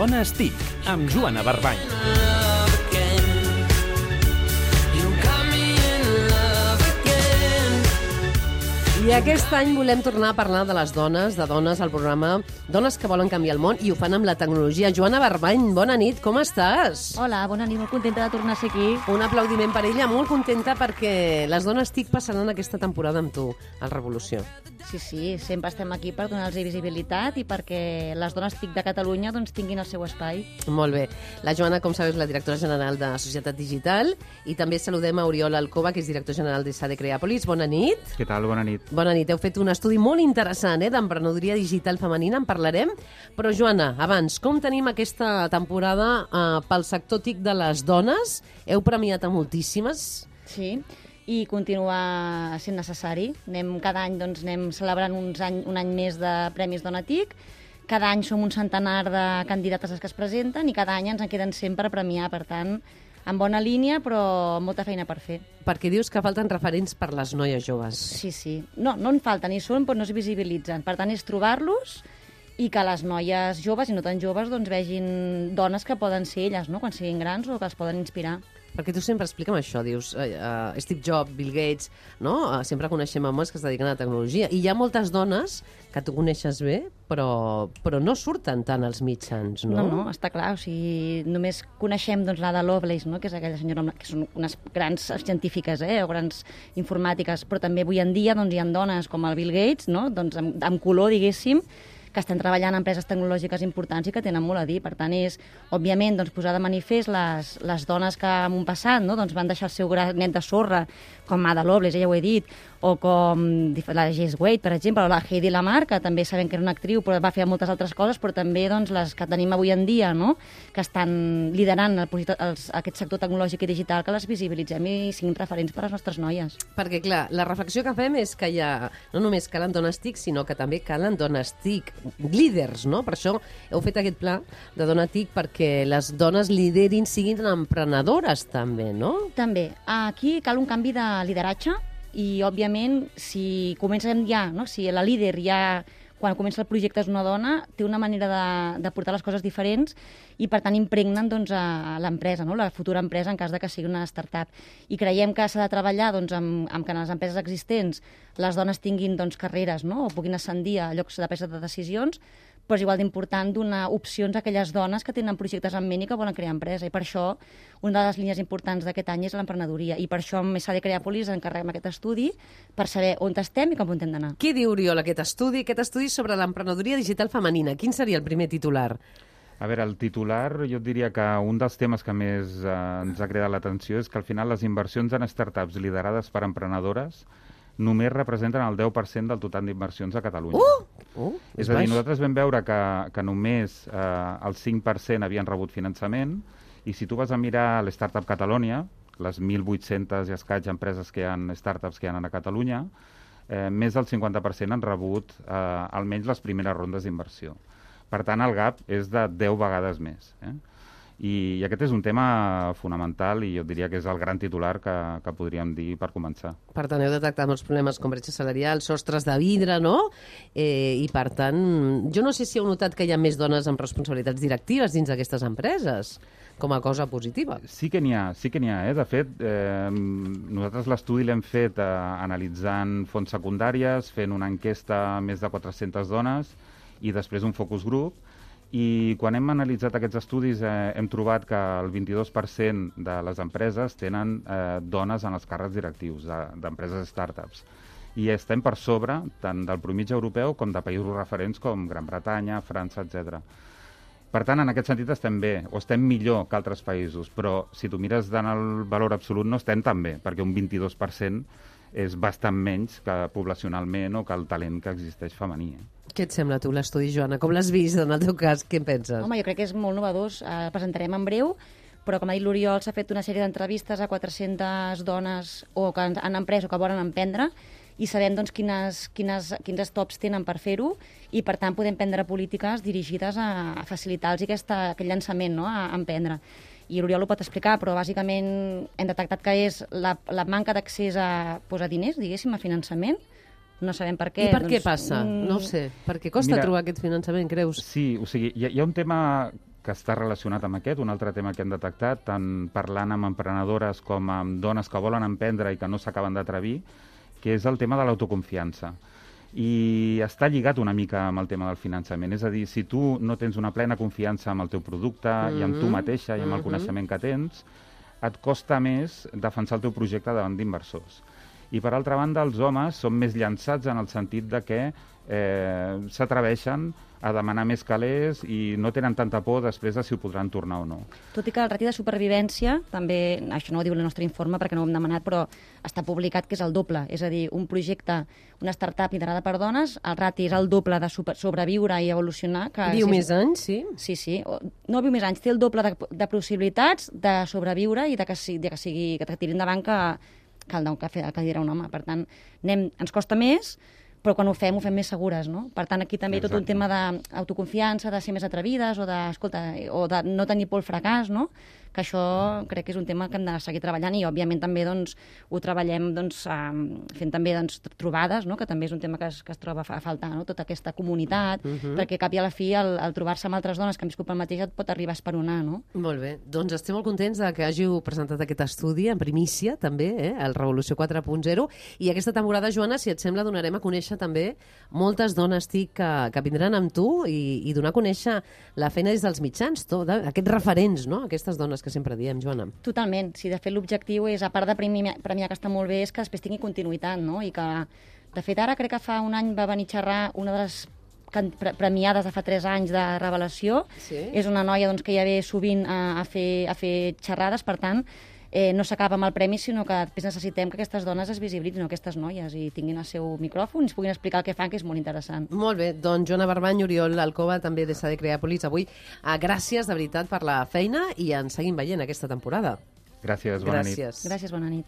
Dones TIC, amb Joana Barbany. I aquest any volem tornar a parlar de les dones, al programa Dones que volen canviar el món, i ho fan amb la tecnologia. Joana Barbany, bona nit, com estàs? Hola, bona nit, molt contenta de tornar a ser aquí. Un aplaudiment per ella, molt contenta perquè les dones TIC passaran aquesta temporada amb tu, al Revolució. Sí, sempre estem aquí per donar-los visibilitat i perquè les dones TIC de Catalunya doncs, tinguin el seu espai. Molt bé. La Joana, com sabeu, és la directora general de Societat Digital, i també saludem a Oriol Alcoba, que és director general de SADE Creàpolis. Bona nit. Què tal? Bona nit. Bona nit. Heu fet un estudi molt interessant d'emprenedoria digital femenina, en parlarem. Però, Joana, abans, com tenim aquesta temporada pel sector TIC de les dones? Heu premiat a moltíssimes. Sí, i continua sent necessari. Cada any anem celebrant un any més de Premis Dona TIC. Cada any som un centenar de candidates que es presenten i cada any ens en queden 100 per premiar. Per tant, en bona línia, però molta feina per fer. Perquè dius que falten referents per les noies joves. Sí. No en falten, ni són, però no es visibilitzen. Per tant, és trobar-los i que les noies joves i no tan joves doncs, vegin dones que poden ser elles, no?, quan siguin grans, o que els poden inspirar. Perquè tu sempre explica'm això, dius, Steve Jobs, Bill Gates, no? Sempre coneixem homes que es dediquen a la tecnologia. I hi ha moltes dones que tu coneixes bé, però no surten tant als mitjans, no? No, està clar. O sigui, només coneixem doncs, l'Ada Lovelace, no?, que és aquella senyora que són unes grans científiques o grans informàtiques, però també avui en dia doncs, hi ha dones com el Bill Gates, no?, doncs, amb color, diguéssim, que estan treballant en empreses tecnològiques importants i que tenen molt a dir. Per tant, és, òbviament, doncs, posar de manifest les dones que en un passat doncs, van deixar el seu granet de sorra, com Ada Lovelace, ja ho he dit, o com la Jess Wade, per exemple, o la Heidi Lamar, que també sabem que era una actriu, però va fer moltes altres coses, però també doncs, les que tenim avui en dia, no?, que estan liderant aquest sector tecnològic i digital, que les visibilitzem i siguin referents per a les nostres noies. Perquè, clar, la reflexió que fem és que no només calen dones TIC, sinó que també calen dones TIC líders, no? Per això heu fet aquest pla de Dona TIC, perquè les dones liderin, siguin emprenedores també, no? També. Aquí cal un canvi de lideratge i, òbviament, si comencem ja, no?, si la líder ja, quan comença el projecte és una dona, té una manera de portar les coses diferents i, per tant, impregnen doncs, a l'empresa, no?, la futura empresa, en cas de que sigui una startup. I creiem que s'ha de treballar doncs, amb que en les empreses existents les dones tinguin doncs, carreres, no?, o puguin ascendir a llocs de presa de decisions, però és igual d'important donar opcions a aquelles dones que tenen projectes en ment i que volen crear empresa. I per això una de les línies importants d'aquest any és l'emprenedoria. I per això amb SADE Creàpolis encarreguem aquest estudi per saber on estem i com hem d'anar. Què diu, Oriol, aquest estudi sobre l'emprenedoria digital femenina? Quin seria el primer titular? A veure, el titular, jo et diria que un dels temes que més ens ha cridat l'atenció és que al final les inversions en startups liderades per emprenedores només representen el 10% del total d'inversions a Catalunya. És a dir, nosaltres vam veure que només el 5% havien rebut finançament, i si tu vas a mirar l'Startup Catalonia, les 1.800 i escaig empreses que hi ha, startups que hi ha a Catalunya, més del 50% han rebut almenys les primeres rondes d'inversió. Per tant, el gap és de 10 vegades més. I aquest és un tema fonamental i jo diria que és el gran titular que podríem dir per començar. Per tant, heu detectat molts problemes com bretxa salarial, sostres de vidre, no? I per tant, jo no sé si heu notat que hi ha més dones amb responsabilitats directives dins d'aquestes empreses, com a cosa positiva. Sí que n'hi ha. De fet, nosaltres l'estudi l'hem fet analitzant fonts secundàries, fent una enquesta a més de 400 dones i després un focus group. I quan hem analitzat aquests estudis hem trobat que el 22% de les empreses tenen dones en els càrrecs directius d'empreses startups. I estem per sobre tant del promigi europeu com de països referents com Gran Bretanya, França, etc. Per tant, en aquest sentit estem bé, o estem millor que altres països, però si tu mires en el valor absolut no estem tan bé, perquè un 22% és bastant menys que poblacionalment o que el talent que existeix femení. Què et sembla tu l'estudi, Joana? Com l'has vist en el teu cas? Què en penses? Home, jo crec que és molt novedós. El presentarem en breu, però com ha dit l'Oriol, s'ha fet una sèrie d'entrevistes a 400 dones o que han emprès o que volen emprendre i sabem doncs, quins stops tenen per fer-ho i, per tant, podem prendre polítiques dirigides a facilitar-los aquest llançament, no?, a emprendre. I l'Oriol ho pot explicar, però bàsicament hem detectat que és la manca d'accés a diners, diguéssim, a finançament. No sabem per què. I per què passa? No ho sé. Per què costa trobar aquest finançament, creus? Sí, o sigui, hi ha un tema que està relacionat amb aquest, un altre tema que hem detectat, tant parlant amb emprenedores com amb dones que volen emprendre i que no s'acaben d'atrevir, que és el tema de l'autoconfiança. I està lligat una mica amb el tema del finançament. És a dir, si tu no tens una plena confiança amb el teu producte i amb tu mateixa i amb el coneixement que tens, et costa més defensar el teu projecte davant d'inversors. I, per altra banda, els homes són més llançats en el sentit de que s'atreveixen a demanar més calés i no tenen tanta por després de si ho podran tornar o no. Tot i que el rati de supervivència, també, això no ho diu el nostre informe perquè no ho hem demanat, però està publicat que és el doble. És a dir, un projecte, una startup liderada per dones, el rati és el doble de sobreviure i evolucionar. Viu més anys, sí? Sí. No viu més anys, té el doble de possibilitats de sobreviure i que tiri endavant que dirà un home. Per tant, ens costa més, però quan ho fem més segures, no? Per tant, aquí també hi ha tot un tema d'autoconfiança, de ser més atrevides, o de no tenir por al fracàs, no? Que això crec que és un tema que hem de seguir treballant i, òbviament, també ho treballem fent també trobades, no? Que també és un tema que es troba a faltar, no? Tota aquesta comunitat, perquè cap i a la fi, al trobar-se amb altres dones que han viscut pel mateix, et pot arribar a esperonar, no? Molt bé. Doncs estem molt contents que hàgiu presentat aquest estudi en primícia, també, el Revolució 4.0, i aquesta temporada, Joana, si et sembla, donarem a conèixer també moltes dones TIC que vindran amb tu i donar a conèixer la feina des dels mitjans, aquests referents, no? Aquestes dones que sempre diem, Joana. Totalment. Si de fet l'objectiu és, a part de premiar, que està molt bé, és que després tingui continuïtat, no? I que, de fet, ara crec que fa un any va venir a xerrar una de les premiades de fa 3 anys de Revelació. Sí. És una noia que ja ve sovint a fer xerrades, per tant, no s'acaba amb el premi, sinó que després necessitem que aquestes dones es visibilitzin, aquestes noies, i tinguin el seu micròfon i ens puguin explicar el que fan, que és molt interessant. Molt bé, doncs Joana Barbany, Oriol Alcoba, també de SADE Creàpolis, avui gràcies de veritat per la feina i ens seguim veient aquesta temporada. Gràcies, bona nit. Gràcies. Gràcies, bona nit.